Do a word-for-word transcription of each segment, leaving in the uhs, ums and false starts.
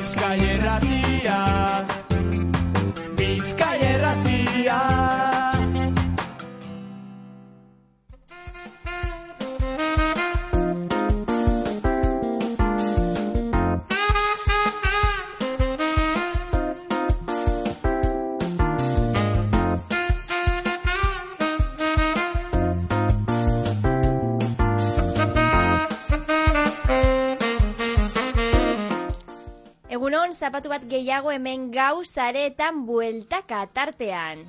Bizkai Irratia, Bizkai Irratia. Egunon, zapatu bat gehiago hemen gau sareetan bueltaka tartean.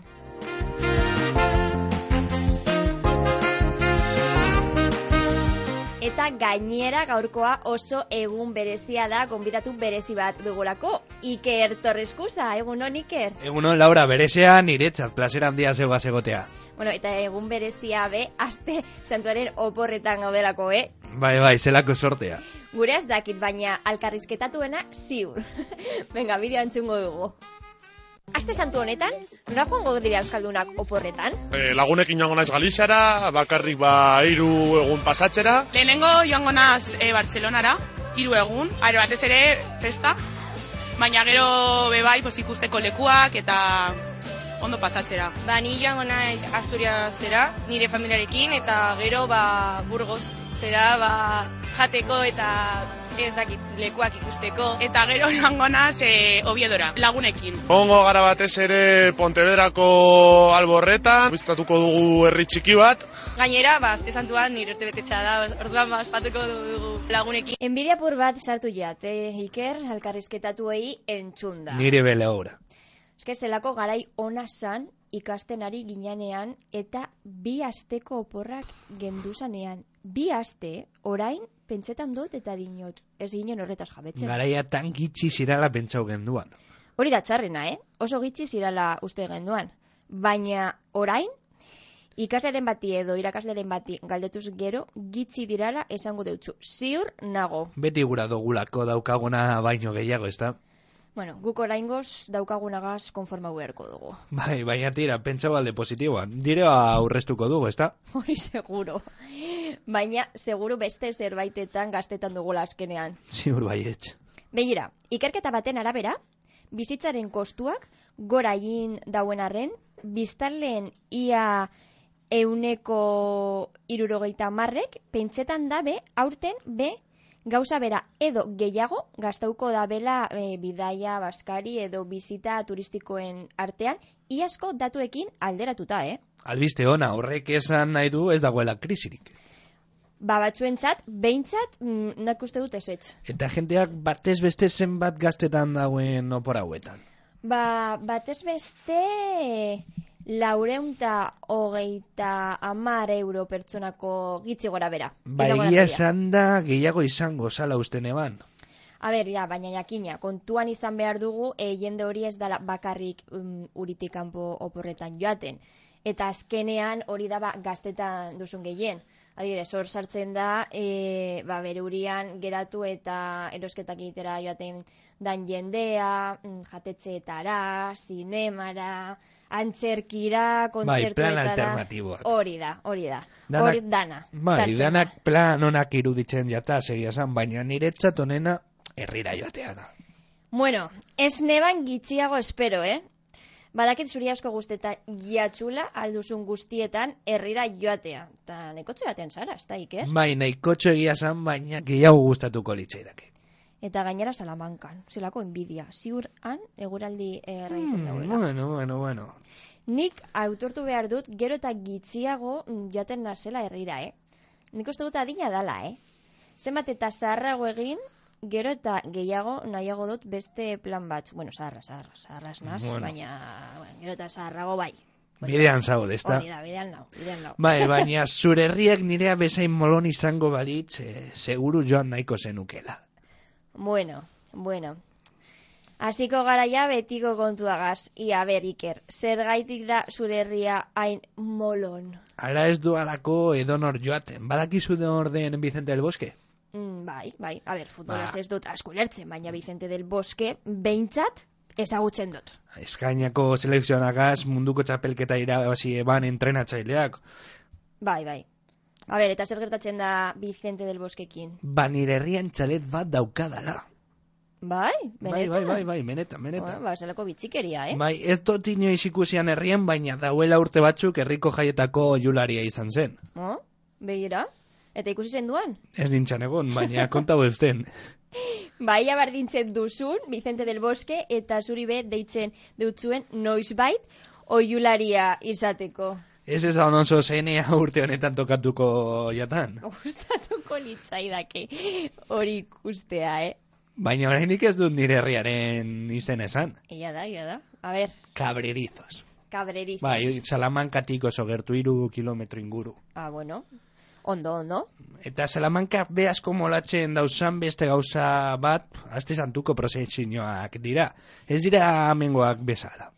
Eta gainera gaurkoa oso egun berezia da, gonbidatu berezi bat dugulako. Iker Torreskusa, egunon Iker? Egunon Laura, berezea niretzat, plazer handia zeugaz egotea. Bueno, eta egun berezia be, aste santuaren oporretan gaudelako, eh? Bai, bai, zelako sortea. Gure ez dakit, baina alkarrizketatuena ziur. Venga, bideo antzungo dugu. Aste santu honetan, nora joango dira euskaldunak oporretan? E, lagunekin joango naiz Galiziara, bakarrik ba hiru egun pasatzera. Lehenengo joango naiz e, Bartzelonara, hiru egun, are batez ere festa, baina gero bebai pos ikusteko lekuak eta ondo pasatzera. Ba, ni joango naiz Asturiasera, nire familiarekin, eta gero ba Burgos zera ba jateko eta ez dakit lekuak ikusteko. Eta gero joango naiz e, Oviedora, lagunekin. Ongo gara batez ere Pontevedrako Alborretan, bizitatuko dugu herri txiki bat. Gainera, ba, aste santuan nire urtebetetzea da, orduan ba, ospatuko dugu lagunekin. Enbidia pur bat sartu jat, eh, Iker, alkarrizketatuei entzunda. Nire bele obra. Eske zelako garai ona zan ikasten ari ginean eta bi asteko oporrak genduzanean. Bi aste, orain, pentsetan dut eta dinot. Ez ginen horretaz jabetzen. Garaia tan gitxi zirala pentsau genduan. Hori da txarrena, eh? Oso gitxi zirala uste genduan. Baina orain, ikasleren bati edo irakasleren bati galdetuz gero, gitxi dirala esango deutzu. Ziur nago. Beti gura dogulako daukaguna baino gehiago, ez da? Bueno, guk oraingoz daukagunagaz konforma beharko dugu. Bai, baina tira, pentsa balde positiboan. Direa aurreztuko dugu, ez da? Hori seguro. Baina, seguru beste zerbaitetan gaztetan dugula azkenean. Ziur baietz. Begira, ikerketa baten arabera, bizitzaren kostuak gora egin dauen arren, biztanleen ia euneko hirurogeita hamarrek pentsetan dabe aurten be gauza bera edo gehiago gastauko dabela e, bidaia, baskari edo bizita turistikoen artean, iazko datuekin alderatuta, eh? Albiste ona, horrek esan nahi du ez dagoela krisirik. Ba, batzuentzat, behintzat, mm, nak uste dut ezetz. Eta jenteak batez beste zenbat gaztetan dauen opor hauetan? Ba, batez beste laureunta hogeita hamar euro pertsonako gitzi gora bera. Ba, egia esan da gehiago izango zala usten eban. A ber, ja, baina jakina, kontuan izan behar dugu, e, jende hori ez dala bakarrik um, uritik kanpo oporretan joaten. Eta azkenean hori da ba, gaztetan duzun gehien. Adibidez, hor sartzen da, e, ba, bere urian geratu eta erosketak egitera joaten dan jendea, jatetxeetara, zinemara, antzerkira, kontzertuetara. Bai, plan alternatiboak. Hori da, hori da. Danak, hori dana. Bai, sartzen. danak plan onak iruditzen jata, segia zan, baina niretzat honena herrira joatea da. Bueno, ez neban gitxiago espero, eh? Badakit zuri asko guzteta jatxula alduzun guztietan herrira joatea. Eta nekotxe batean zara, ez da, Iker? Bai, nahikotxo egia zan, baina gehiago gustatuko litzaidake. Eta gainera Salamankan, zelako enbidia. Ziur han, eguraldi erraizen Hmm, dauela. bueno, bueno, bueno. Nik autortu behar dut, gero eta gitziago jaten nazela herrira, eh? Nik uste dut adina dala, eh? Zenbat eta zaharrago egin, gero eta gehiago nahiago dut beste plan bat. Bueno, zaharra, zaharra, zaharra esnaz, Bueno. baina bueno, gero eta zaharrago bai. Bidean zaude, ezta? Hori da, bidean nau, bidean nau. Bai, baina zure herriak nirea bezain molon izango balitz, eh, seguru joan nahiko zenukela. Bueno, bueno. Hasiko garaia betiko kontuagaz. Ia ber, Iker, zergaitik da zure herria hain molon? Ara ez du alako edonor joaten. Badakizu de orden Vicente del Bosque? Mm, bai, bai. A ber, futbolaz Ba. ez dut asko lertzen, baina Vicente del Bosque behintzat ezagutzen dut. Eskainako selekzionagaz munduko txapelketa irabazi eban entrenatzaileak. Bai, bai. A ber, eta zer gertatzen da Vicente del Bosquekin? Ba, nire herrian txalet bat daukadala. Bai, Bai, benetan. bai, bai, bai, benetan, Ba, benetan. ba, zelako bitzikeria, eh? Bai, ez dut inoiz ikusian herrien, baina dauela urte batzuk herriko jaietako jularia izan zen. Oh, begira. Eta ikusi zen duan? Ez nintzen egon, baina kontau eusten. Baia bardintzen duzun, Vicente del Bosque, eta zuri be deitzen dutzuen noizbait oiularia izateko. Ez ezan oso zenea urte honetan tokatuko jatan. Gustatuko litzaidake hori ikustea, eh? Baina oraindik ez dut nire herriaren izen esan. Ia da, ia da. A ver, Cabrerizos. cabrerizos. Bai, Salamankatik oso gertu hiru kilometro inguru. Ah, bueno. Ondo, ondo. Eta Salamanka be asko molatzen dauzan beste gauza bat, aste santuko prozesioak dira. Ez dira amengoak bezala.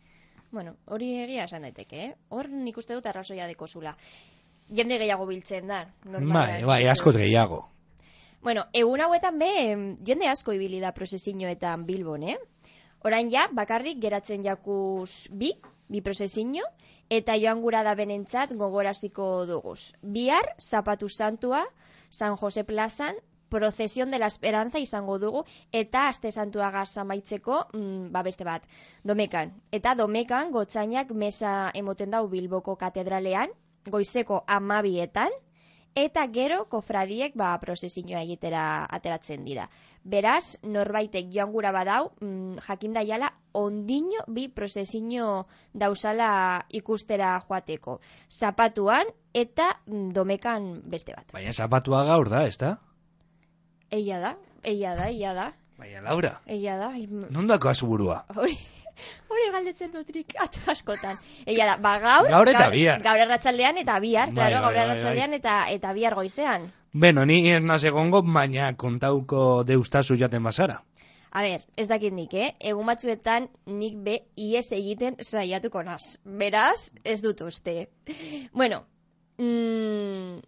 Bueno, hori egia esan daiteke, eh? Hor nik uste dut arrazoia dekozula. Jende gehiago biltzen da. Bai, bai, asko gehiago. Bueno, egun hauetan be, jende asko ibili da prozesioetan Bilbon, eh? Orain ja, bakarrik geratzen jakuz bi, bi prozesio, eta joan gura da benentzat gogoraziko duguz. Bihar, Zapatu Santua, San Jose plazan, Procesión de la Esperanza izango dugu, eta aste santuagaz amaitzeko, mm, ba beste bat, Domekan. Eta Domekan gotzainak mesa emoten dau Bilboko katedralean, goizeko amabietan, eta gero kofradiek ba prozesioa egitera ateratzen dira. Beraz, norbaitek joan gura badau, mm, jakinda jala, ondino bi prozesio dauzala ikustera joateko. Zapatuan eta mm, Domekan beste bat. Baina zapatua gaur da, ez da? Eia da, eia da, eia da. Baina Laura, Eia da. nondako azuburua? Hori, hori galdetzen dutrik askotan. Eia da, ba gaur, Gaur eta bihar. Gaur erratsaldean eta bihar, Bai, claro, bai, gaur bai, erratsaldean eta eta bihar goizean. Beno, ni ez naz egongo, baina kontauko deustazu jaten bazara. A ber, ez dakit nik, eh? Egun batzuetan nik be ies egiten saiatuko naz. Beraz, ez dut uste. Bueno, mm,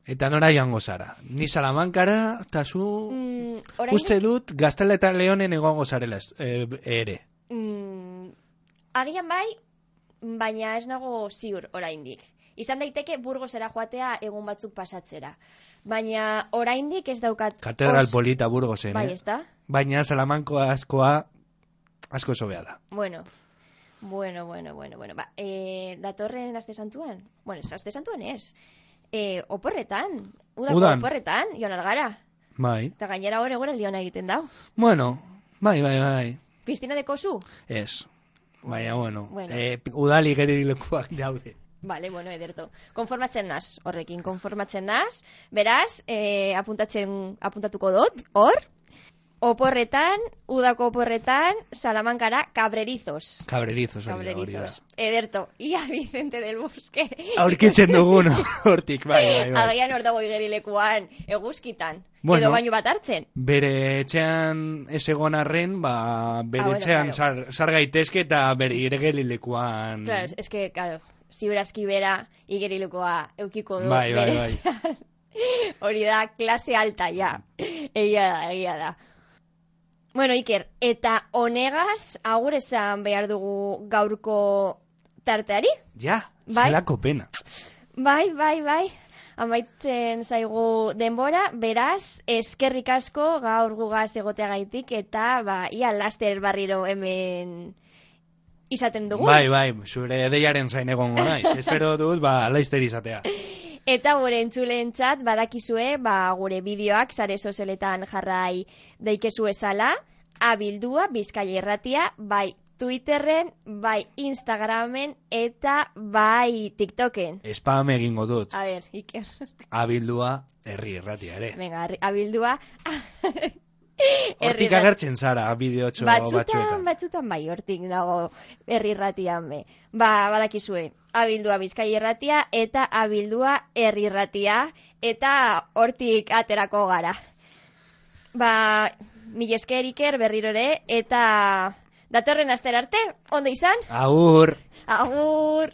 Eta nora joango zara? Ni Salamankara, eta zu... mm, orain, Uste dut, Gaztela eta Leonen egongo zarela ez- eh, ere. mm, agian bai, baina ez nago ziur oraindik. Izan daiteke Burgosera joatea egun batzuk pasatzera. Baina oraindik ez daukat... Katedral os- polita Burgosen, Bai, eh? ez da? Baina Salamanko askoa asko sobea da. Bueno, bueno, bueno, bueno, bueno. Ba, e, datorren aste santuan? Bueno, ez aste santuan ez. E, oporretan, udako Udan. oporretan, joan algara. Bai. Eta gainera hor egon eldiona egiten dau. Bueno, bai, bai, bai. Piztina de kozu? Ez. Baina, bueno, Bueno. Eh, udali gerilekuak daude. Vale, bueno, ederto. Konformatzen naz, horrekin, konformatzen naz. Beraz, e, apuntatzen, apuntatuko dut, hor. Oporretan, udako oporretan, Salamankara, Cabrerizos. Cabrerizos hori da, hori da. Cabrerizos. Ederto. Ia Vicente del Bosque. Aurkitzen dugun hortik, bai, bai, bai. Agian hor dago igerilekuan, eguzkitan. Bueno. Edo baino bat hartzen. Bere etxean ez egon arren, ba, bere Ah, bueno, etxean claro. sar, sar gaitezke eta bere iregelilekuan... Claro, es que, claro, ziurazki bera igerilekoa eukiko du Bai, bai, bere bai. etxean. Hori da, klase alta, ja. Egia da, egia da. Bueno, Iker, eta honegaz, agur esan behar dugu gaurko tarteari? Ja, Bai. zelako pena. Bai, bai, bai. Amaitzen zaigu denbora, beraz, eskerrik asko gaur gugaz egoteagaitik eta ba, ia laster barriro hemen izaten dugu. Bai, bai, zure deiaren zain egongo naiz. Espero dut, ba, laizter izatea. Eta gure entzuleentzat badakizue, ba, gure bideoak sare sozialetan jarrai daikezu esala, abildua Bizkaia Irratia, bai Twitterren, bai Instagramen eta bai TikToken. Spam egingo dut. A ber, Iker. Abildua herri irratia ere. Venga, arri- abildua. Hortik Herri- agertzen zara, bideotxo Batzutan, batzuetan. batzutan bai, hortik nago herri irratian be. Ba, badakizue, abildua Bizkaia Irratia eta abildua herri irratia eta hortik aterako gara. Ba, mil esker Iker berriro ere eta datorren astera arte, ondo izan? Agur! Agur!